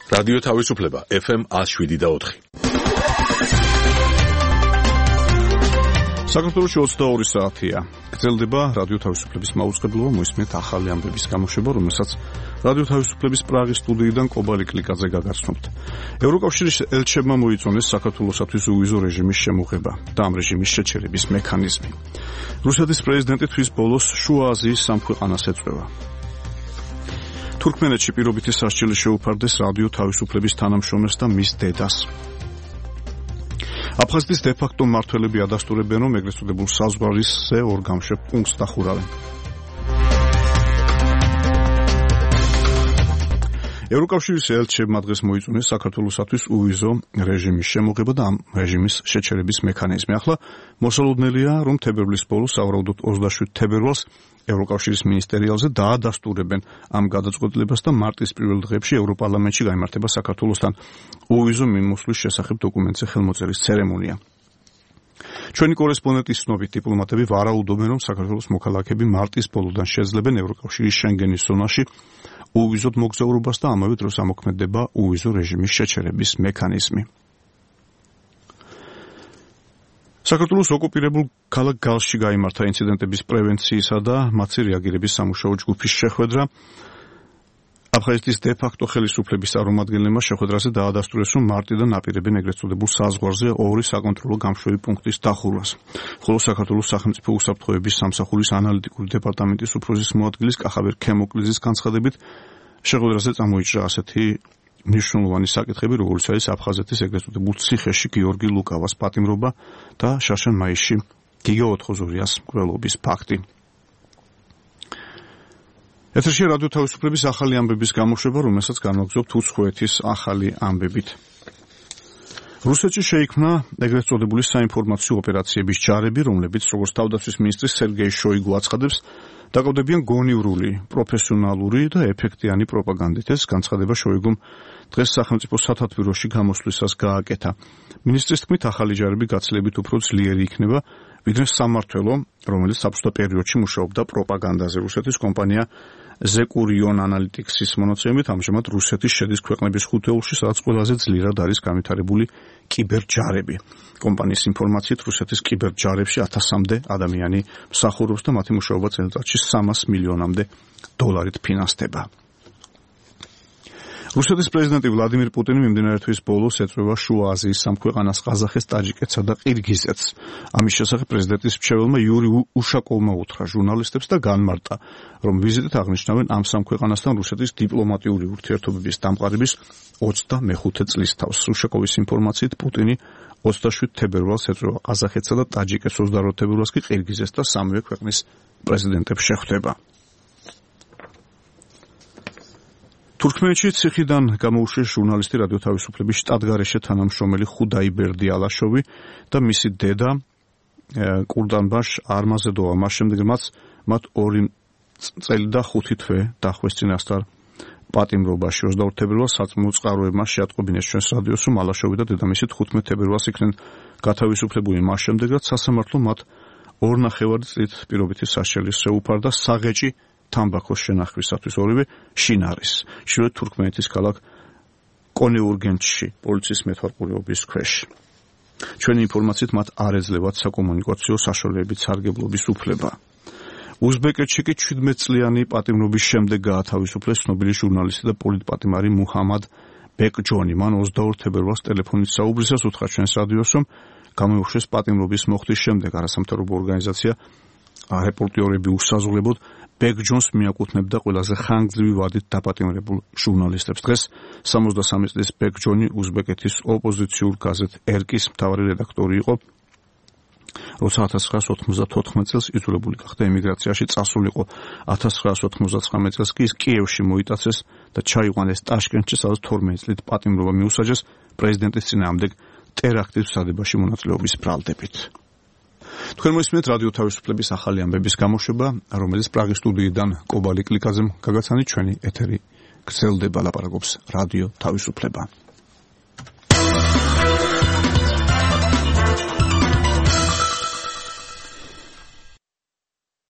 რადიო თავისუფლება FM 107.4. საქართველოში 22 საათია. გრძელდება რადიო თავისუფლების მაუწყებლობა, მოისმენთ ახალი ამბების გამოშვება, რომელსაც რადიო თავისუფლების პრაღის სტუდიიდან კობალი კლიკაძე გაგაცნობთ. ევროკავშირის ელჩებმა მოიწონეს საქართველოსათვის უვიზო რეჟიმის შემოღება და ამ რეჟიმის შეჩერების მექანიზმი. რუსეთის პრეზიდენტი თვის ბოლოს შუა აზიის სამ ქვეყანას ეწვევა. თურქმენეთში პირობითი სასჯელი შეუფარდეს რადიო თავისუფლების თანამშრომელს და მის დედას. აფხაზეთის დე-ფაქტო მმართველები ადასტურებენ, რომ ეგრეთ წოდებულ საზღვარზე ორ გამშვებ პუნქტს დახურავენ. ევროკავშირის ელჩებმა დღეს მოიწონეს საქართველოსათვის უვიზო რეჟიმის შემოღება და ამ რეჟიმის შეჩერების მექანიზმი. ახლა მოსალოდნელია, რომ თებერვლის ბოლოს, სავარაუდოდ 27 თებერვალს, ევროკავშირის მინისტერიალზე დაადასტურებენ ამ გადაწყვეტილებას და მარტის პირველ დღეებში ევროპარლამენტში გაიმართება საქართველოსთან უვიზო მიმოსვლის შესახებ დოკუმენტზე ხელმოწერის ცერემონია. ჩვენი კორესპონდენტის ცნობით, დიპლომატები ვარაუდობენ, რომ საქართველოს მოქალაქეები მარტის ბოლოდან შეძლებენ ევროკავშირის შენგენის ზონაში უვიზოდ მოგზაურობას და ამავე დროს ამოქმედება უვიზო რეჟიმის შეჩერების მექანიზმი. საქართველოს ოკუპირებულ ქალაქ გალში გაიმართა ინციდენტების პრევენციისა და მათი რეაგირების სამუშაო ჯგუფის შეხვედრა. აფხაზეთის დე-ფაქტო ხელისუფლების წარმომადგენლებმა შეხვედრაზე დაადასტურეს, რომ მარტიდან აპირებენ ეგრეთ წოდებულ საზღვარზე ორი საკონტროლო გამშვები პუნქტის დახურვას. ხოლო საქართველოს სახელმწიფო უსაფრთხოების სამსახურის ანალიტიკური დეპარტამენტის უფროსის მოადგილის კახაბერ ქემოკლიძის განცხადებით, შეხვედრაზე წამოიჭრა ასეთი მნიშვნელოვანი საკითხები, როგორც არის აფხაზეთის ეგრეთ წოდებულ ციხეში გიორგი ლუკავას პატიმრობა და შაშან მაისში გიგა ოთხოზურიას მკვლელობის ფაქტი. ეთერში რადიო თავისუფლების ახალი ამბების გამოშვება, რომელსაც განვაგრძობთ უცხოეთის ახალი ამბებით. რუსეთში შეიქმნა ეგრეთ წოდებული საინფორმაციო ოპერაციების ჯარები, რომლებიც, როგორც თავდაცვის მინისტრი სერგეი შოიგუ აცხადებს, დაკავდებიან გონივრული, პროფესიონალური და ეფექტიანი პროპაგანდით. ეს განცხადება შოიგუმ დღეს სახელმწიფო სათათბიროში გამოსვლისას გააკეთა. მინისტრის თქმით, ახალი ჯარები გაცილებით უფრო ძლიერი იქნება, ვიდრე სამმართველო, რომელიც საბჭოთა პერიოდში მუშაობდა პროპაგანდაზე. რუსეთის კომპანია ზეკურიონ ანალიტიქსის მონაცემებით, ამჟამად რუსეთის შედის ქვეყნების ხუთეულში, სადაც ყველაზე ძლიერად არის განვითარებული კიბერჯარები. კომპანიის ინფორმაციით, რუსეთის კიბერჯარებში 1000-მდე ადამიანი მსახურობს და მათი მუშაობა წელიწადში 300 მილიონამდე დოლარით ფინანსდება. რუსეთის პრეზიდენტი ვლადიმირ პუტინი მიმდინარე თვის ბოლოს ეწვევა შუა აზიის სამ ქვეყანას, ყაზახეთს, ტაჯიკეთსა და ყირგიზეთს. ამის შესახებ პრეზიდენტის მრჩეველმა იური უშაკოვმა უთხრა ჟურნალისტებს და განმარტა, რომ ვიზიტით აღნიშნავენ ამ სამ ქვეყანასთან რუსეთის დიპლომატიური ურთიერთობების დამყარების 25 წლის თავს. უშაკოვის ინფორმაციით, პუტინი 27 თებერვალს ეწვევა ყაზახეთსა და ტაჯიკეთს, 28 თებერვალს კი ყირგიზეთს და სამივე ქვეყნის პრეზიდენტებს შეხვდება. თურქმენეთში ციხიდან გამოუშვეს ჟურნალისტი რადიო თავისუფლების შტატგარეშე თანამშრომელი ხუდაი ბერდიალაშოვი და მისი დედა კურდანბაშ არმაზედოვა. მას შემდეგ მათ 2 წელი და 5 თვე დახვეს წინასწარ პატიმრობაში. 22 თებერვალს საწმუნო წყაროებმა შეატყობინეს ჩვენს რადიოს, რომ ალაშოვი და დედამისი 15 თებერვალს იქნენ გათავისუფლებული. მას შემდეგ რაც სასამართლო მათ 2.5 წლით პირობითი სასჯელის შეუფარდა საღეჭი თამბაქოს შენახვისათვის, ორივე შინარის, შუა თურქმენეთის ქალაქ კონეურგენჩში, პოლიციის მეთვალყურეობის ქვეშ. ჩვენი ინფორმაციით, მათ არ ეძლევათ საკომუნიკაციო საშუალებებით სარგებლობის უფლება. უზბეკეთში კი 17 წლიანი პატიმრობის შემდეგ გაათავისუფლეს ცნობილი ჟურნალისტი და პოლიტპატიმარი მუჰამად ბეკჯონი. მან 22 თებერვალს ტელეფონით საუბრისას უთხრა ჩვენს რადიოს, რომ გამოუშვეს პატიმრობის მოხდის შემდეგ. არასამთავრობო ორგანიზაცია რეპორტიორები უსაზღვრებოდ ბეკჯონს მიაკუთვნებდა ყველაზე ხანგრძლივი ვადით დაპატიმრებულ ჟურნალისტებს. დღეს 63 წლის ბეკჯონი უზბეკეთის ოპოზიციურ გაზეთ ერკის მთავარი რედაქტორი იყო. როცა 1994 წელს იძულებული გახდა ემიგრაციაში წასულიყო. 1999 წელს კი ის კიევში მოიტაცეს და ჩაიყვანეს ტაშკენტში, სადაც 12 წლით პატიმრობა მიუსაჯეს პრეზიდენტის წინააღმდეგ ტერაქტის მსადებაში მონაწილეობის ბრალდებით. თქვენ მოისმენთ რადიო თავისუფლების ახალი ამბების გამოშვება, რომელიც პრაღის სტუდიიდან კობალი კლიკაძემ გაგაცანით. ჩვენი ეთერი გრძელდება, ლაპარაკობს რადიო თავისუფლება.